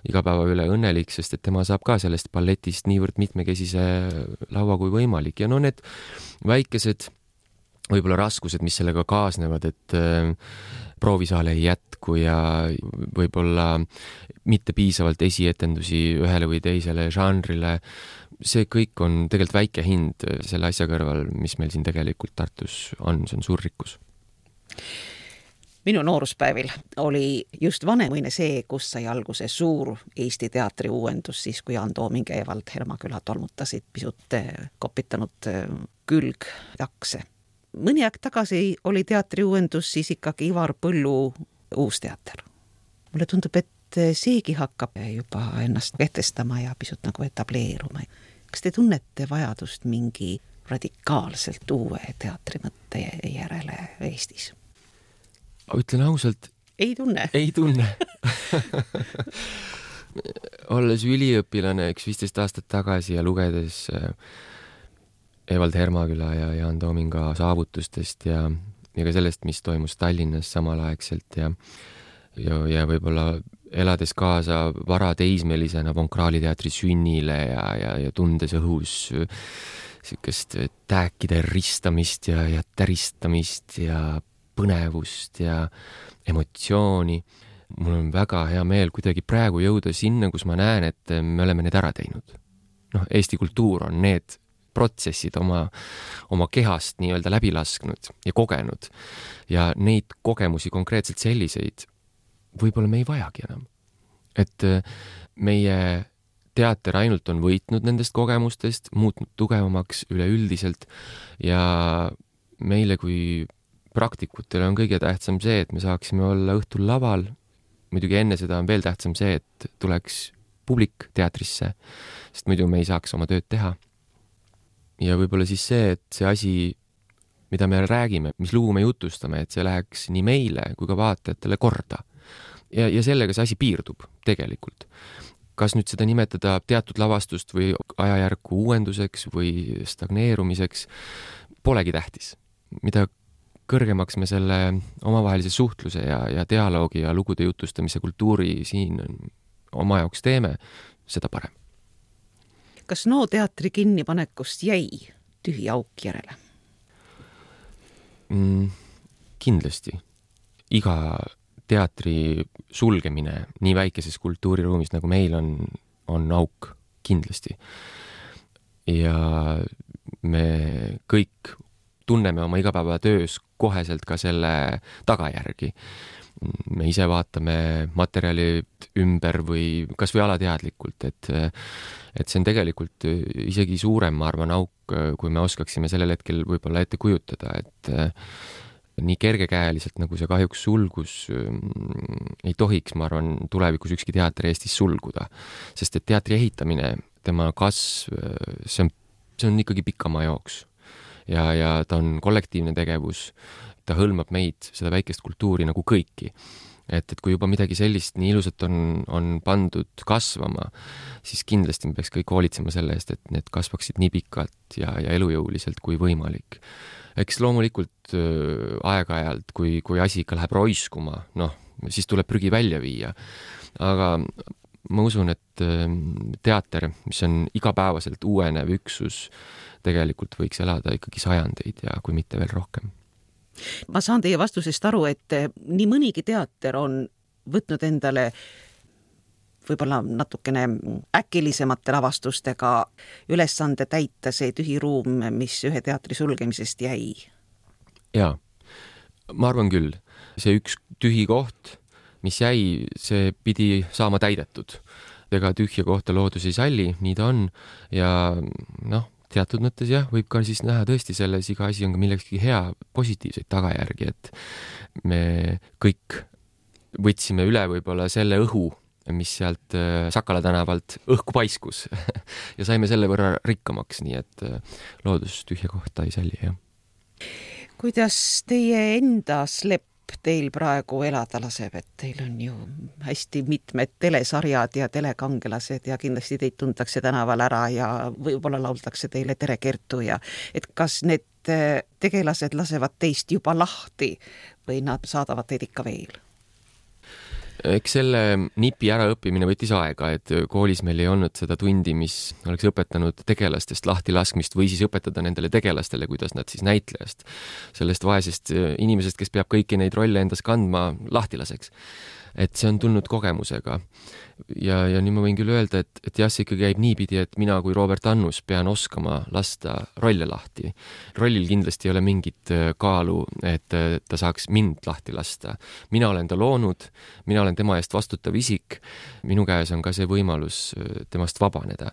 igapäeva üle õnnelik, sest et tema saab ka sellest balletist niivõrd mitmekesise laua kui võimalik. Ja need väikesed võib-olla raskused, mis sellega kaasnevad, et proovisaale ei jätku ja võib-olla mitte piisavalt esietendusi ühele või teisele žanrile, see kõik on tegelikult väike hind selle asja kõrval, mis meil siin tegelikult Tartus on, see on suur rikkus. Minu nooruspäevil oli just Vanemuine see, kus sai alguse suur Eesti teatri uuendus, siis kui Jaan Tooming ja Evald Hermaküla tolmutasid pisut kopitanud külgtakse. Mõni aeg tagasi oli teatri uuendus siis ikkagi Ivar Põllu Uusteater. Mulle tundub, et seegi hakkab juba ennast kehtestama ja pisut nagu etableeruma. Kas te tunnete vajadust mingi radikaalselt uue teatrimõtte järele Eestis? Ütlen ausalt. Ei tunne? Ei tunne. Olles üliõpilane 15 aastat tagasi ja lugedes Evald Hermaküla ja Jaan Toominga saavutustest ja ka sellest, mis toimus Tallinnas samalaegselt ja võib-olla elades kaasa varateismelisena Vonkraali teatri sünnile ja tundes õhus sükest tääkide ristamist ja täristamist ja põnevust ja emotsiooni. Mul on väga hea meel kuidagi praegu jõuda sinna, kus ma näen, et me oleme need ära teinud. Eesti kultuur on need protsessid oma kehast nii-öelda läbi lasknud ja kogenud. Ja neid kogemusi konkreetselt selliseid võib-olla me ei vajagi enam. Et meie teater ainult on võitnud nendest kogemustest, muutnud tugevamaks üleüldiselt ja meile kui praktikutele on kõige tähtsam see, et me saaksime olla õhtul laval. Muidugi enne seda on veel tähtsam see, et tuleks publik teatrisse, sest muidu me ei saaks oma tööd teha. ja võib-olla siis see, et see asi, mida me räägime, mis lugu me jutustame, et see läheks nii meile kui ka vaatajatele korda. Ja sellega see asi piirdub tegelikult. Kas nüüd seda nimetada teatud lavastust või ajajärku uuenduseks või stagneerumiseks, polegi tähtis. Mida kõrgemaks me selle omavahelise suhtluse ja dialoogi ja lugude jutustamise kultuuri siin oma jaoks teeme, seda parem. Kas NO teatri kinnipanekust jäi tühi auk järele? Kindlasti. Iga teatri sulgemine nii väikeses kultuuriruumis, nagu meil on auk, kindlasti. Ja me kõik tunneme oma igapäevatöös koheselt ka selle tagajärgi. Me ise vaatame materjalid ümber või kas või alateadlikult, et see on tegelikult isegi suurem, ma arvan, auk, kui me oskaksime sellel hetkel võib-olla ette kujutada, et nii kergekäeliselt, nagu see kahjuks sulgus, ei tohiks, ma arvan, tulevikus ükski teater Eestis sulguda. Sest et teatri ehitamine, tema kasv, see on ikkagi pikamaa jooks. Ja ta on kollektiivne tegevus, ta hõlmab meid, seda väikest kultuuri nagu kõiki. Et kui juba midagi sellist nii ilusat on pandud kasvama, siis kindlasti me peaks kõik hoolitsema selle eest, et need kasvaksid nii pikalt ja elujõuliselt kui võimalik. Eks loomulikult aeg-ajalt, kui asi ikka läheb roiskuma, siis tuleb prügi välja viia. Aga ma usun, et teater, mis on igapäevaselt uuenev üksus, tegelikult võiks elada ikkagi sajandeid ja kui mitte veel rohkem. Ma saan teie vastusest aru, et nii mõnigi teater on võtnud endale võib-olla natukene äkilisemate lavastustega ülesande täita see tühi ruum, mis ühe teatri sulgemisest jäi. Jaa, ma arvan küll. See üks tühi koht, mis jäi, see pidi saama täidetud. Ega tühja kohta loodus ei salli, nii ta on. Ja teatud mõttes võib ka siis näha tõesti selles iga asi on ka millekski hea, positiivseid tagajärgi, et me kõik võtsime üle võib-olla selle õhu, mis sealt Sakala tänavalt õhku paiskus ja saime selle võrra rikkamaks, nii et loodus tühja kohta ei salli, jah. Kuidas teie enda slepp teil praegu elada laseb, et teil on ju hästi mitmed telesarjad ja telekangelased ja kindlasti teid tuntakse tänaval ära ja võib-olla lauldakse teile Tere Kertu ja et kas need tegelased lasevad teist juba lahti või nad saadavad teid ikka veel? Eks selle nipi äraõppimine võttis aega, et koolis meil ei olnud seda tundi, mis oleks õpetanud tegelastest lahti laskmist või siis õpetada nendele tegelastele, kuidas nad siis näitlejast, sellest vaesest inimesest, kes peab kõiki neid rolle endas kandma, lahti laseks. Et see on tulnud kogemusega. Ja nüüd ma võin küll öelda, et jah, see ikkagi käib niipidi, et mina kui Robert Annus pean oskama lasta rolle lahti. Rollil kindlasti ei ole mingit kaalu, et ta saaks mind lahti lasta. Mina olen ta loonud, mina olen tema eest vastutav isik, minu käes on ka see võimalus temast vabaneda.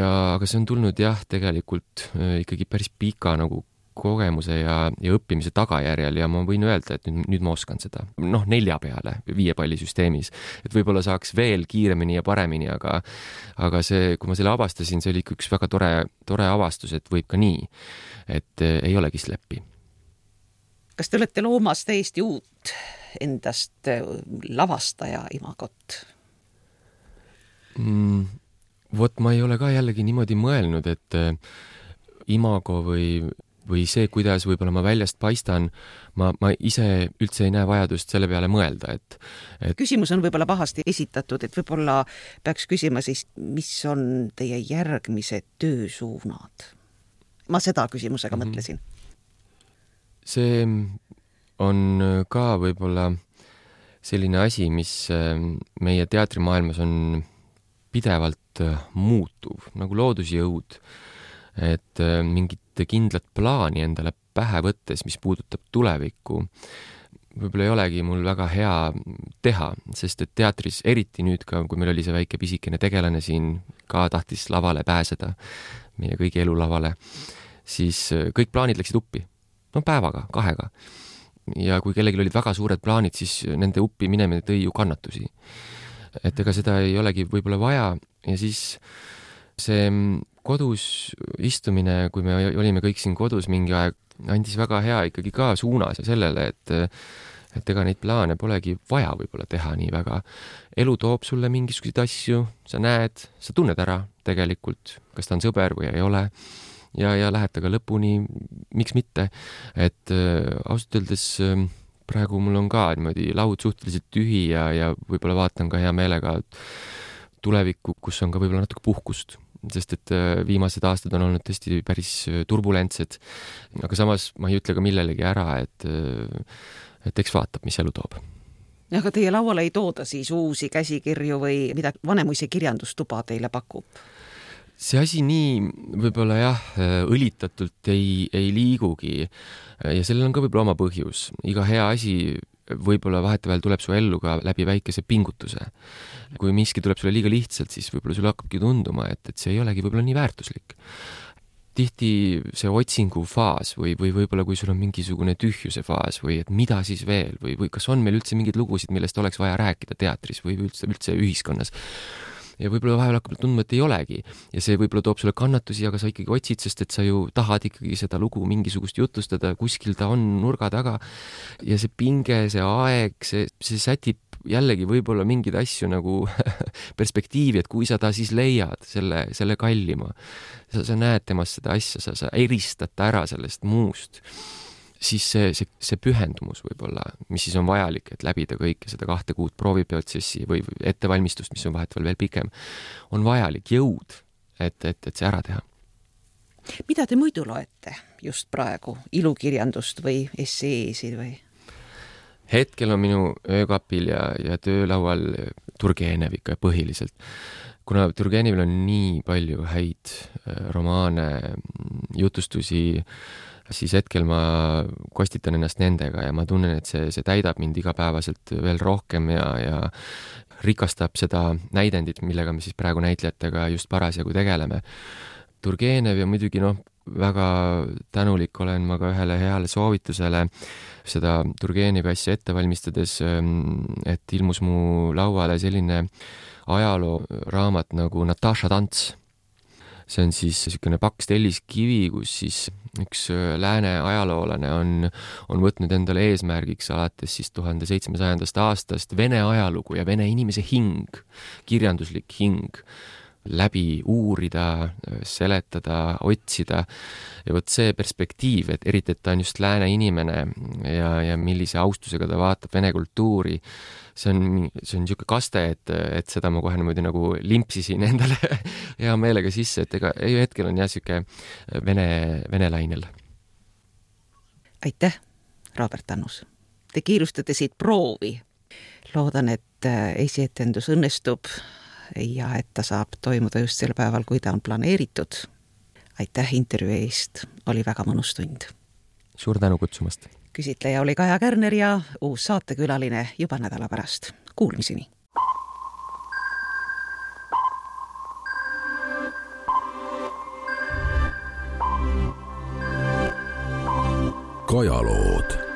Aga see on tulnud jah, tegelikult ikkagi päris pika nagu kogemuse ja õppimise tagajärjel ja ma võin öelda, et nüüd ma oskan seda. 4 peale 5 pallisüsteemis. Et võib-olla saaks veel kiiremini ja paremini, aga see, kui ma selle avastasin, see oli üks väga tore avastus, et võib ka nii, et ei olegi sleppi. Kas te olete loomas täiesti uut endast lavastaja imagot? Vot ma ei ole ka jällegi niimoodi mõelnud, et imago või see, kuidas võib-olla ma väljast paistan, ma ise üldse ei näe vajadust selle peale mõelda, et Küsimus on võib-olla pahasti esitatud, et võib-olla peaks küsima siis, mis on teie järgmised töösuunad? Ma seda küsimusega mõtlesin. See on ka võib-olla selline asi, mis meie teatrimaailmas on pidevalt muutuv, nagu loodusjõud, et mingit kindlat plaani endale pähe võttes, mis puudutab tulevikku, võib-olla ei olegi mul väga hea teha, sest et teatris, eriti nüüd ka, kui meil oli see väike pisikene tegelane siin, ka tahtis lavale pääseda, meie kõigi elulavale, siis kõik plaanid läksid uppi. Päevaga, 2. Ja kui kellelgi olid väga suured plaanid, siis nende uppi minemine tõi ju kannatusi. Et ega seda ei olegi võib-olla vaja ja siis see kodus istumine, kui me olime kõik siin kodus mingi aeg, andis väga hea ikkagi ka suunas sellele, et ega neid plaane polegi vaja võib-olla teha nii väga. Elu toob sulle mingisuguseid asju, sa näed, sa tunned ära tegelikult, kas ta on sõber või ei ole ja lähed taga lõpuni, miks mitte. Et ausalt öeldes praegu mul on ka niimoodi laud suhteliselt tühi ja võib-olla vaatan ka hea meelega tulevikku, kus on ka võib-olla natuke puhkust, sest et viimased aastad on olnud tõesti päris turbulentsed, aga samas ma ei ütle ka millelegi ära, et eks vaatab, mis elu toob. Aga teie lauale ei tooda siis uusi käsikirju või mida Vanemuise kirjandustuba teile pakub? See asi nii võib-olla jah, õlitatult ei liigugi ja sellel on ka võib-olla oma põhjus. Iga hea asi võib-olla vahetevahel tuleb su ellu ka läbi väikese pingutuse. Kui miski tuleb sulle liiga lihtsalt, siis võib-olla sulle hakkabki tunduma, et see ei olegi võib-olla nii väärtuslik. Tihti see otsingu faas või võib-olla kui sul on mingisugune tühjuse faas või et mida siis veel või kas on meil üldse mingeid lugusid, millest oleks vaja rääkida teatris või üldse ühiskonnas. Ja võib-olla vahel hakkab tundma, et ei olegi. Ja see võib-olla toob sulle kannatusi, aga sa ikkagi otsid, sest et sa ju tahad ikkagi seda lugu mingisugust jutustada, kuskil ta on nurga taga. Ja see pinge, see aeg, see sätib jällegi võib-olla mingeid asju nagu perspektiivi, et kui sa ta siis leiad, selle kallima, sa näed temast seda asja, sa eristad ta ära sellest muust, siis see pühendumus võib-olla, mis siis on vajalik, et läbida kõike seda 2 kuud prooviprotsessi või ettevalmistust, mis on vahetevahel veel pikem, on vajalik jõud, et see ära teha. Mida te muidu loete just praegu? Ilukirjandust või esseesid või? Hetkel on minu öökapil ja töölaual Turgenev ikka põhiliselt. Kuna Turgenevil on nii palju häid romaane, jutustusi, siis hetkel ma kostitan ennast nendega ja ma tunnen, et see täidab mind igapäevaselt veel rohkem ja rikastab seda näidendit, millega me siis praegu näitlejatega just parasjagu tegeleme. Turgenev ja muidugi väga tänulik olen ma ka ühele heale soovitusele seda Turgenevi asja ette valmistades, et ilmus mu lauale selline ajalooraamat nagu Nataša Tants. See on siis selline paks telliskivi, kus siis üks lääne ajaloolane on võtnud endale eesmärgiks alates siis 1700. aastast Vene ajalugu ja Vene inimese hing, kirjanduslik hing, läbi uurida, seletada, otsida. Ja võt see perspektiiv, et eriti, et ta on just lääne inimene ja millise austusega ta vaatab Vene kultuuri, see on niisugune kaste, et seda ma kohe niimoodi nagu limpsisin endale hea meelega sisse, et ega hetkel on jah siuke vene lainel. Aitäh, Robert Annus. Te kiirustate siit proovi. Loodan, et esietendus õnnestub ja et ta saab toimuda just sel päeval, kui ta on planeeritud. Aitäh intervjuu eest, oli väga mõnus tund. Suur tänu kutsumast. Küsitleja oli Kaja Kärner ja uus saatekülaline juba nädala pärast. Kuulmiseni! Kajalood